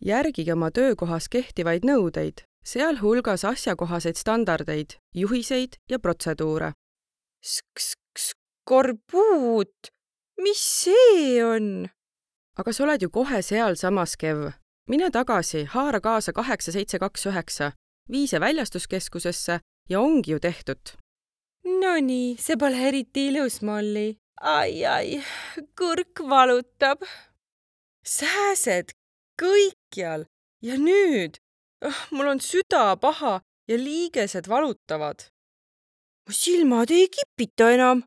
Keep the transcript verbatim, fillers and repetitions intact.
Järgige oma töökohas kehtivaid nõudeid, sealhulgas asjakohaseid standardeid, juhiseid ja protseduure. Skorbuut, mis see on? Aga sa oled ju kohe seal samas, Kev. Mine tagasi, haara kaasa kaheksa seitse kaks üheksa, viise väljastuskeskusesse ja ongi ju tehtud. Nonii, see pole eriti ilus, Molli. Ai, ai, kõrk valutab. Sääsed kõikjal ja nüüd mul on süda paha ja liigesed valutavad. Mu silmad ei kipita enam.